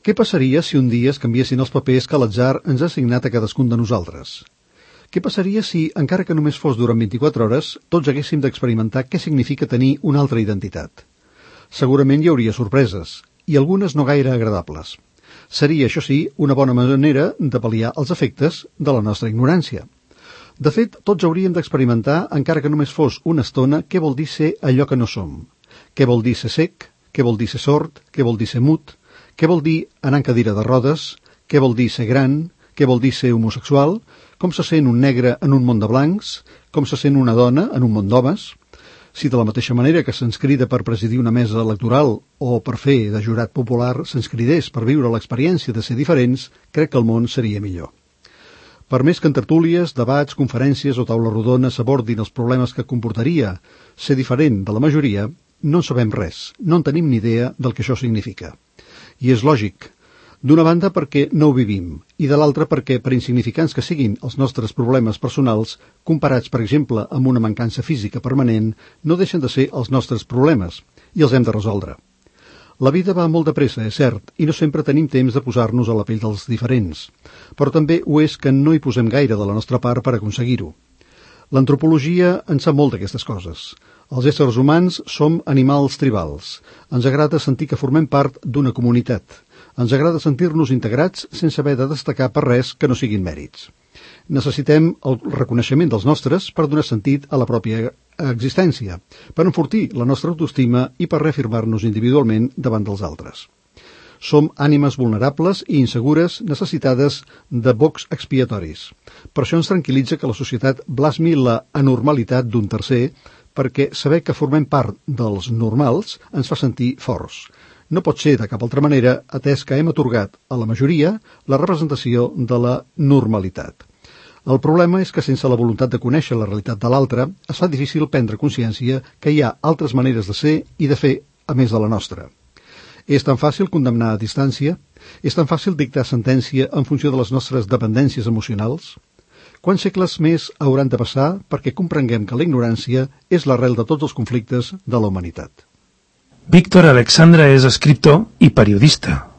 Què passaria si un dia es canviessin els papers que l'atzar ens ha assignat a cadascun de nosaltres? Què passaria si, encara que només fos durant 24 hores, tots haguéssim d'experimentar què significa tenir una altra identitat? Segurament hi hauria sorpreses, i algunes no gaire agradables. Seria, això sí, una bona manera de pal·liar els efectes de la nostra ignorància. De fet, tots hauríem d'experimentar, encara que només fos una estona, què vol dir ser allò que no som. Què vol dir ser sec? Què vol dir ser sord? Què vol dir ser mut? Què vol dir anar en cadira de rodes? Què vol dir ser gran? Què vol dir ser homosexual? Com se sent un negre en un món de blancs? Com se sent una dona en un món d'homes? Si de la mateixa manera que se'ns crida per presidir una mesa electoral o per fer de jurat popular se'ns cridés per viure l'experiència de ser diferents, crec que el món seria millor. Per més que en tertúlies, debats, conferències o taula rodona s'abordin els problemes que comportaria ser diferent de la majoria, no en sabem res, no en tenim ni idea del que això significa. I és lògic. D'una banda perquè no ho vivim, i de l'altra perquè, per insignificants que siguin els nostres problemes personals, comparats, per exemple, amb una mancança física permanent, no deixen de ser els nostres problemes, i els hem de resoldre. La vida va molt de pressa, és cert, i no sempre tenim temps de posar-nos a la pell dels diferents, però també ho és que no hi posem gaire de la nostra part per aconseguir-ho. L'antropologia en sap molt d'aquestes coses. Els éssers humans som animals tribals. Ens agrada sentir que formem part d'una comunitat. Ens agrada sentir-nos integrats sense haver de destacar per res que no siguin mèrits. Necessitem el reconeixement dels nostres per donar sentit a la pròpia existència, per enfortir la nostra autoestima i per reafirmar-nos individualment davant dels altres. Som ànimes vulnerables i insegures necessitades de bocs expiatoris. Per això ens tranquil·litza que la societat blasmi la anormalitat d'un tercer, perquè saber que formem part dels normals ens fa sentir forts. No pot ser de cap altra manera, atès que hem atorgat a la majoria la representació de la normalitat. El problema és que sense la voluntat de conèixer la realitat de l'altre, es fa difícil prendre consciència que hi ha altres maneres de ser i de fer a més de la nostra. És tan fàcil condemnar a distància? És tan fàcil dictar sentència en funció de les nostres dependències emocionals? Quants segles més hauran de passar perquè comprenguem que la ignorància és l'arrel de tots els conflictes de la humanitat? Víctor Alexandra és escriptor i periodista.